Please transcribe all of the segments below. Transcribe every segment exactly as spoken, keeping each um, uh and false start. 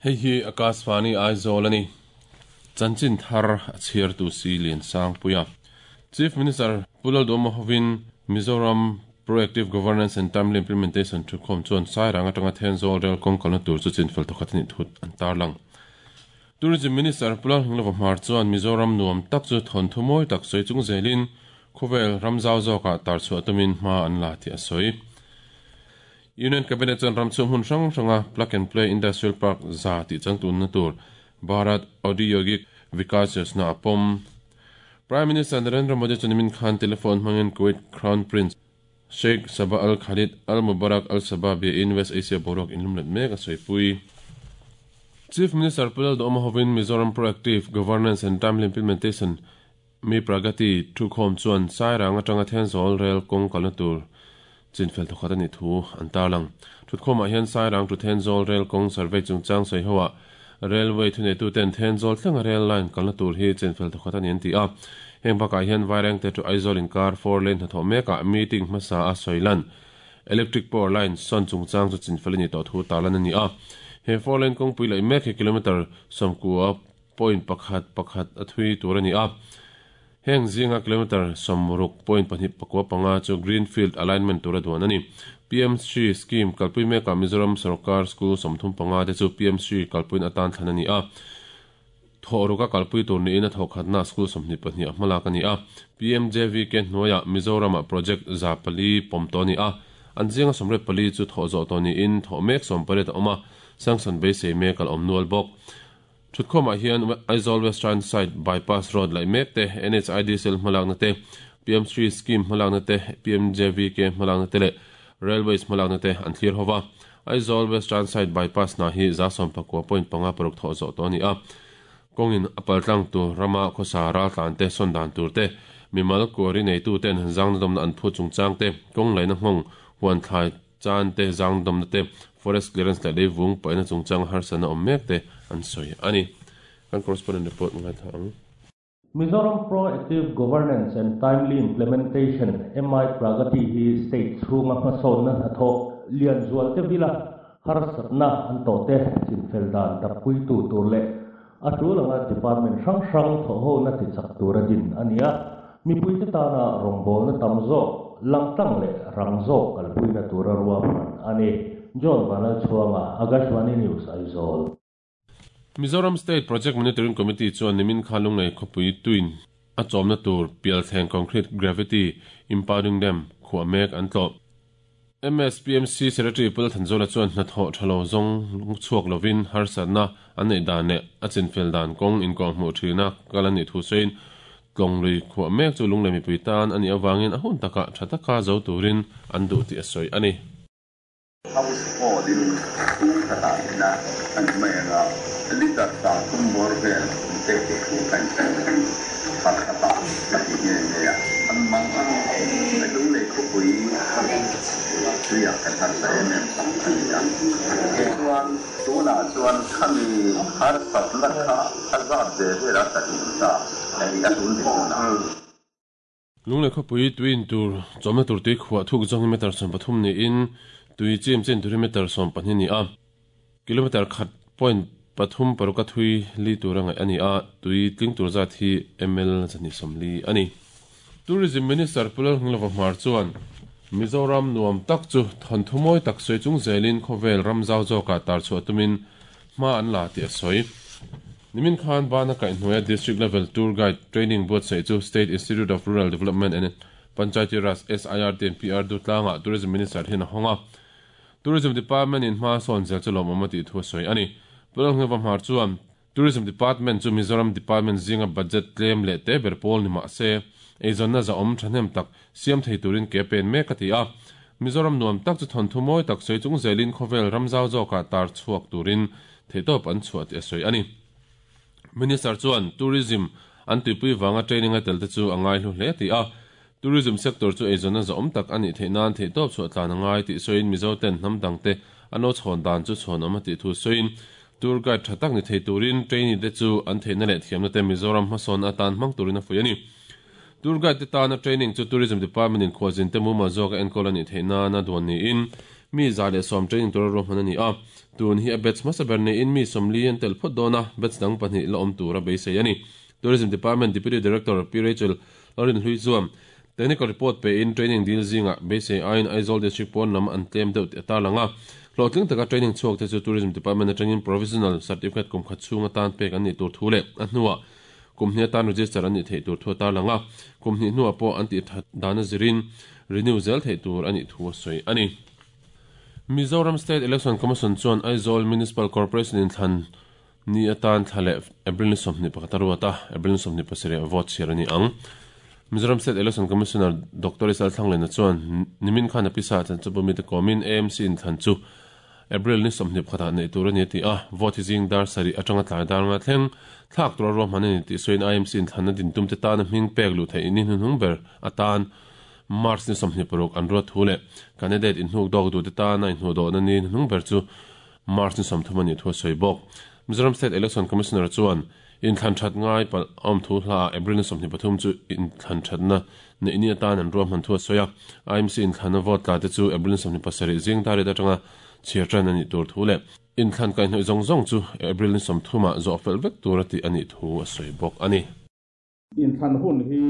Hei hi Akashvani Aizawl ani. Chanchin thar a chhiar tu si Lian Sangpuia. Chief Minister Pu Lalduhoma hovin Mizoram Proactive Governance and Timely Implementation thukhawm chuan Sairang atanga Thenzawl rel kawng kalna tur chu chinfel thawkhat ani thut an tarlang. Tourism Minister Pu Lalnghinglova Hmar chuan Mizoram nuam tak chu thon thu mawi tak sawi chung zelin khawvel ramzau zawkah tar chhuah tumin hma an la ti a sawi. Union Cabinet chuan ram chhung hmun hrang hranga Plug and Play Industrial Park za tih changtun na tur Bharat Audyogik Vikas Yojana a pawm. Prime Minister Narendra Modi chuan nimin khan telephone hmangin Kuwait Crown Prince Sheikh Sabah Al Khalid Al Mubarak Al Sabah bia in West Asia boruak inlum let mek a sawi pui. Chief Minister Pu Lalduhoma hovin Mizoram Proactive Governance and Timely Implementation Mi Pragati thukhawm chuan Sairang atanga Thenzawl rel kawng kalna tur chinfel thawkhat ani thu an tarlang. Thutkhawmah hian Sairang to Thenzawl rel kawng survey chungchang sawi hoa railway thuneitu ten Thenzawl thlenga rail line kalna tur hi chinfel thawkhat ani an ti a. Heng bakah hian Vairengte to Aizawl inkar four lane hnathawh mekah meeting hmasa a sawi lan. Electric power line sawn chungchang chu chinfel ani tawh thu tarlan ani a. He four lane kawngpui laih mek hi kilometer sawmkua point pakhat pakhat a thui tur ani a. Heng zinga kilometer sawmruk point pahnih pakua panga chu Greenfield alignment tur a duan ani. P M C scheme kalpui mekah Mizoram Sarkar School sawmthum panga te chu P M C kalpuin atan thlan ani a. Thawhruka kalpui tur niin a thawkhatna school sawmhnih pahnih a hmalak ani a. P M J V K hnuaiah Mizoramah project za pali pawm tawh ani a. An zinga sawmriat pali chu thawh zawh tawh niin thawh mek sawm pariat a awm a. Sanction beisei mek al awm nual bawk. Thutkhawmah hian Aizawl Western Side Bypass Road laih mek te, N H I D sel hmalakna te, P M three scheme hmalakna te, P M J V K hmalakna te leh Railways hmalakna te an thlir hova. Aizawl Western Side Bypass na hi za sawm pakua point panga paruk thawh zawh tawh ani a. Kawngin a paltlang tur rama khawsa ral tlan te sawn dan tur te, mimal kuari neitu ten zangna dawmna an phu chungchang te, kawng laihna nghawng huan thlai chan te zang dawmna te, forest clearance leh leivung paihna chungchang harsana awm mek te an sawi ani. Kan correspondent report ngai tha ang. Mizoram Proactive Governance and Timely Implementation M I Pragati hi state chhunga hmasawnna hnathawh lian zual te vila harsatna an tawh te chinfel dan dappui tu tur leh a tulanga department hrang hrang thawhhona ti chak tur a din ani a. Mipui te tana rawngbawlna tam zawk langtlang leh rang zawk kalpuina tur a ruahman ani. John Vanal Chuanga, Akashvani News, Aizawl. Mizoram State Project Monitoring Committee chuan nimin khan lunglei khawpui tuin a chawmna tur pialthleng concrete gravity impounding dam khuah mek an tlawh. M S P M C Secretary Pu Lalthanzawla chuan hnathawh thalo zawng chhuak lovin harsatna an nei dan leh a chinfel dan kawng inkawng hmuh thina kal ani thu sawiin tlawng lui khuah mek chu lunglei mipui tan ani awangin a hun takah tha taka zo turin an duh tih a sawi ani. House Odin na an mera liter ta tumbor vel te te ku kan pakhata ti nge nge an mang ang lung lei khu pui tuya kan har sa em em ani a chuan tuna chuan khami har sat lakha azad de vera ta ta ai a tun de na. Lunglei khawpui tuin tur chawmna tur tui khuah thuk zawng meter sawm pathum niin tui chim chen turi meter sawm pahnih ni a. Kilometer khat point pathum paruka thui li tur angai ani a. Tui tling tur zat hi ml zani sawmli ani. Tourism Minister Pu Lalnghinglova Hmar chuan Mizoram nuam tak chu thon thu mawi tak sawi chung zelin khawvel ramzau zawkah tar chhuah tumin hma an la tih a sawi. Nimin khan bana kaihhnuaia District Level Tour Guide Training buatsaih chu State Institute of Rural Development and Panchayati Raj S I R T and P R Dutlangah Tourism Minister hian a hawng a. Tourism Department in hma sawn zel chu lawmawm a tih thu a sawi ani. Pu Lalnghinglova Hmar chuan Tourism Department chu Mizoram Department zinga budget tlem leh te ber pawl ni mah se eizawnna za awm thahnem tak siam thei turin ke pen mek a ti a. Mizoram nuam tak chu thon thu mawi tak sawi chung zelin khawvel ramzau zawkah tar chhuak turin theitawp an chhuah tih a sawi ani. Minister chuan tourism an tuipui wanga training a tel te chu a ngai hlu hle ti a. Tourism sector chu eizawnna za awm tak ani theihnan theitawp chhuah tlan a ngai tih sawiin Mizo ten hnam dang te an lo chhawn dan chu chhawn awm a tih thu sawiin tour guide tha tak ni thei turin trainee te chu an theihna leh thiamna te Mizoram hmasawn atan hmang turin a fuih ani. Tour guide te tana training chu Tourism Department in khuazin te mumal zawk a enkawl ani theihna na duan niin Mi za le som training tur ro hman ani a tun hi a batch hmasa ber ni in mi somli an tel phawt dawn a batch dang pahnih la awm tur a beisei ani. Tourism Department Deputy Director P Rachel Lorin Hlui chuan technical report pe in training dil zinga beisei aiin Aizawl District pawn lam an tlem deuh tih a tarlang a. Hlawhtling taka training chhuak te chu Tourism Department atangin provisional certificate kum khat chhung atan pek an nih tur thu leh a hnuah kum hnih atan register an nih theih tur thu a tarlang a. Kum hnih hnuah pawh an tih that dan a zirin renew zel theih tur a nih thu a sawi a ni. Mizoram State Election Commission chuan Aizawl Municipal Corporation inthlan ni atan thla leh April ni sawmhnih pakhat a ruat a, April ni sawmhnih pasarih vote chhiar a ni ang. Mizoram State Election Commissioner Doctor Isal Thlanglena chuan nimin khan a pisa chan chu bumite kawmin A M C inthlan chu April ni sawmhnih pakhatah neih tur a ni a ti a, vote hi zing dar sarih atanga tlai dar nga thleng thlak tura ruahman a ni tih sawiin I M C inthlanna dintumte tana hming pek luh theih ni hnuhnung ber atan March ni sawmhnih paruk an ruat thu leh candidate inhnuk dawk duhte tana inhnuh dawhna ni hnuhnung ber chu March ni sawmthum a nih thu a sawi bawk. Mizoram State Election Commissioner chuan inthlan that ngai palh a awm thu hla April ni sawmhnih pathum chu inthlan thatna neih ni atan an ruahman thu a sawi a. I M C inthlanna vote tla te chu April ni sawmhnih pasarih zing dar riat atanga chhiar tan a nih tur thu leh inthlan kaihhnawih zawng zawng chu April ni sawmthumah zawh fel vek tur a tih a nih thu a sawi bawk a ni. Inthlan hun hi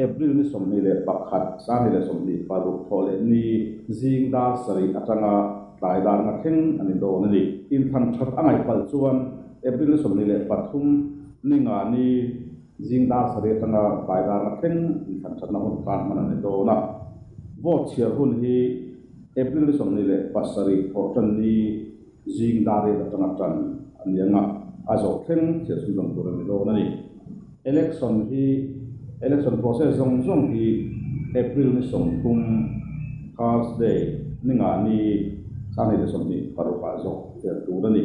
April ni sawmhnih leh pakhat sangni leh sawmhnih paruk thawh leh ni zing dar sarih atanga tlai dar nga thleng a ni dawn a ni. Inthlan that a ngaih palh chuan April ni sawmhnih leh pathum ni nga ni zing dar sarih atanga tlai dar nga thleng inthlan thatna hun tan hman a ni dawn a. Vote chhiar hun hi April ni sawmhnih leh pasarih thawh tan ni zing dar riat atanga tan a ni anga a zawh thleng chhiar chhunzawm tur a ni dawn a ni. Election hi election process zawng zawng hi April ni sawmthum Thursday ni nga ni sangni leh sawmhnih parukah zawh fel tur a ni.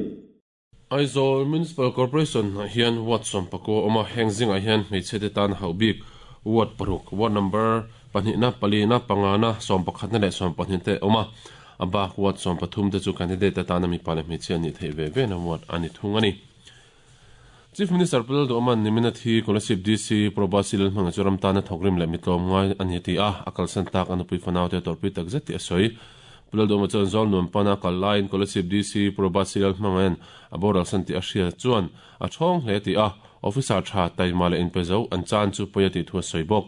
Aizawl Municipal Corporation ah hian ward sawm pakua awm a, heng zingah hian hmeichhe te tan hauh bik ward paruk, ward number pahnihna, palina, pangana, sawm pakhatna leh sawm pahnih te awm a. A bak ward sawm pathum te chu candidate atana mipa leh hmeichhe an nih theih ve ve na ward a ni thung a ni. Chief Minister Pu Lalduhawma'n nimina thi Kolasib D C Probasi Lalhmanga chu ram tana thawkrim leh mitlawm ngai a ni ti a, a kalsan tak a nupui fanau te tawrhpui tak zet tih a sawi. Pu Lalduhawma chuan zawl nuam pana kal laiin Kolasib D C Probasi Lalhmanga'n a boral san tih a hria chuan a thawng hle ti a, officer tha taima leh inpe zo an chan chu pawi a tih thu a sawi bawk.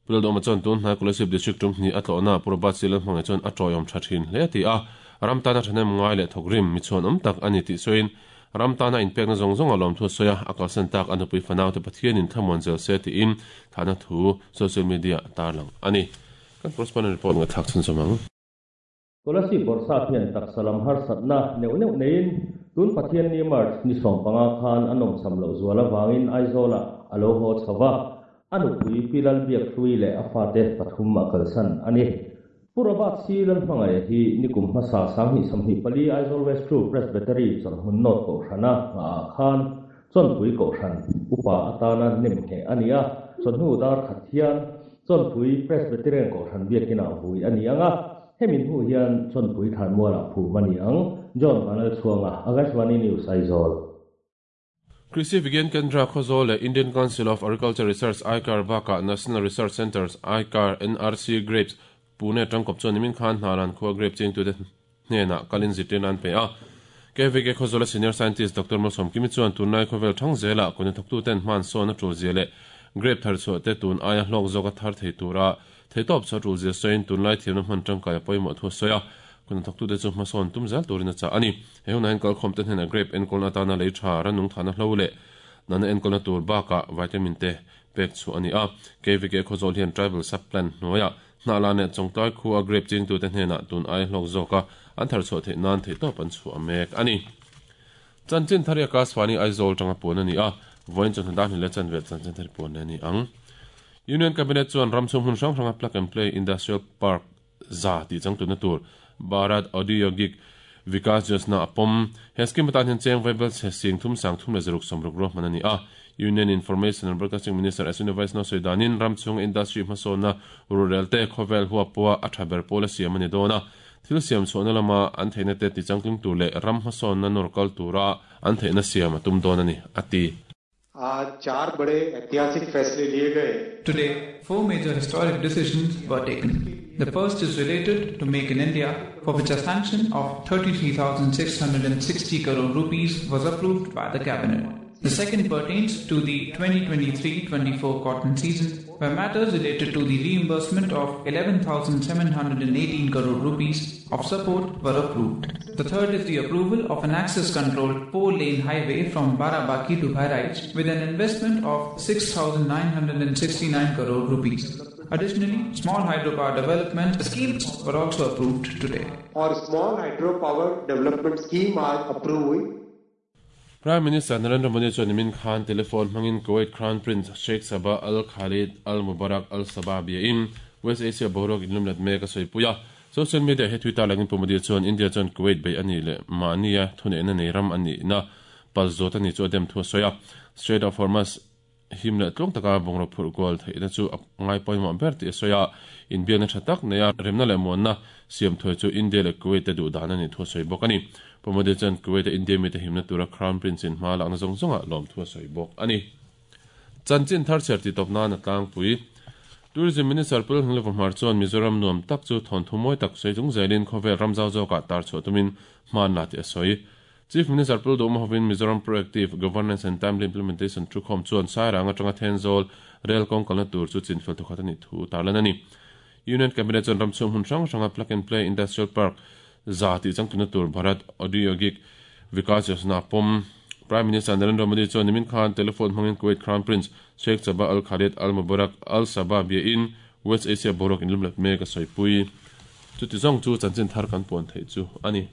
Pu Lalduhawma chuan tun hnai Kolasib District tum hnih a tlawhna Probasi Lalhmanga chuan a tawiawm tha thin hle ti a, ram tana thahnem ngai leh thawkrim mi chhuan awm tak a ni tih sawiin ram tana inpekna zawng zawng a lawm thu a sawi a, a kalsan tak a nupui fanau te Pathianin thlamuan zel se tiin thahna thu social media a tarlang a ni. Kan correspondent report nga thlak chhun zawm ang. Kolasib Bawrhsap hian taksalam harsatna neuh neuh neiin tun Pathian ni March ni sawm panga khan a nawmcham loh zual avangin Aizawlah a lo haw chho a, a nupui Pi Lalbiak Hlui leh a fate pathum a kalsan a ni. Pu Robert C Lalhmangaih hi nikum hmasa sanghnih sawmhnih pali Aizawl West True Presbytery chawlhmun nawt kohhrana ngah khan chawnpui kohhran upa atana nem hneh a ni a, chawhnu dar khat hian chawnpui Presbyterian kohhran biakinah vui a ni anga, hemin hu hian chawnpui thanmualah phum a ni ang. John Vanal Chhuanga, Akashvani News, Aizawl. Krishi Vigyan Kendra Khawzawl leh Indian Council of Agriculture Research I C A R bakah National Research Centres I C A R N R C Grapes Pune tangkawp chuan nimin khan hnalan khua grape chingtute hnenah kalin zirtirna an pe a. K V K Khawzawl Senior Scientist Doctor Malsawm Kimi chuan tunlai khawvel thang zelah kawni thawktuten hman sawn a tul zia leh grape thar chhuah te tun aia hlawk zawk a thar thei tura theitawp chu a tul zia sawiin tunlai thiamna hman tangkai a pawimawh thu a sawi a. Kawni thawktute chu hmasawn tum zel turin a chah a ni. He hunah hian kalkhawm te hnenah grape enkawlna atana lei tha ranung thahna hlo leh nana enkawlna tur bakah vitamin te pek chu a ni a. K V K Khawzawl hian tribal sub-plan hnuaiah hnahla leh chawngtlai khu a grape chingtute hnenah tun ai hlawk zawk a an thar chhuah theih nan theihtawp an chhuah a mek a ni. Chanchin thari Akashvani Aizawl tanga puan a ni a, vawiin chawhnu dar hnih leh chanve chanchin thari puan a ni ang. Union Cabinet chuan ramchhung hmun hrang hranga plug and play industrial park za tih changtuna tur Bharat Audyogik Vikas Yojana a pawm. He scheme atan hian cheng vaibel chhe sing thum sang thum leh zaruk sawmruk ruahman a ni a. Union Information and Broadcasting Minister Ashwini Vaishnaw sawi danin ramchhung industry hmasawnna rurel te khawvel huapua a tha ber pawl a siam a ni dawn a. Thil siam chhuahna lama an theihna te ti changtling tur leh ram hmasawnna nawr kal tura an theihna siam a tum dawn a ni a ti. आज चार बड़े ऐतिहासिक फैसले लिए गए Today, four major historic decisions were taken. The first is related to Make in India, for which a sanction of thirty-three thousand six hundred sixty crore rupees was approved by the Cabinet. The second pertains to the twenty twenty-three twenty-four cotton season, where matters related to the reimbursement of eleven thousand seven hundred eighteen crore rupees of support were approved. The third is the approval of an access-controlled four-lane highway from Barabaki to Bahraich with an investment of six thousand nine hundred sixty-nine crore rupees. Additionally, small hydropower development schemes were also approved today. और small hydropower development scheme आज approve हुई. Prime Minister Narendra Modi chuan nimin khan telephone hmangin Kuwait Crown Prince Sheikh Sabah Al Khalid Al Mubarak Al Sabah biain West Asia boruak inlumlet mek a sawipuia. Social media he Twitter langin Pu Modi chuan India chuan Kuwait bei ani leh mahnia thuneihna nei ram ani na palzawt ani chu a dem thu a sawi a. Strait of Hormuz him leh tlawng taka bungraw phurh kual theihna chu a ngai pawimawh ber tih a sawi a. Inbiakna tha tak nei a remna leh muanna siam thuai chu India leh Kuwait te duh dan ani thu a sawi bawk ani. Pu Modi chuan Kuwait a India mi te himna tura Crown Prince in hma lakna zawng zawnga lawm thu a sawi bawk ani. Chanchin thar chher ti tawp nan a tlangpui. Tourism Minister Pu Lalhungleva Hmar chuan Mizoram nuam tak chu thawn thu mawi tak sawi chung zelin khawvel ram zau zawkah tar chhuah tumin hman la tih a sawi. Chief Minister Pu Lalduhoma hovin Mizoram Proactive Governance and Timely Implementation Thukhawm chuan Sairang atanga Thenzawl rail kawng kalna tur chu chinfel thawkhat ani thu tarlan ani. Union Cabinet chuan ram chhung hmun hrang hranga Plug and Play Industrial Park za tih changtuna tur Bharat Audyogik Vikas Yojana pawm. Prime Minister Narendra Modi chuan nimin khan telephone hmangin Kuwait Crown Prince Sheikh Sabah Al Khalid Al Mubarak Al Sabah biain West Asia boruak inlumlet mek a sawipui. Chuti zawng chu chanchin thar kan puan theih chu ani.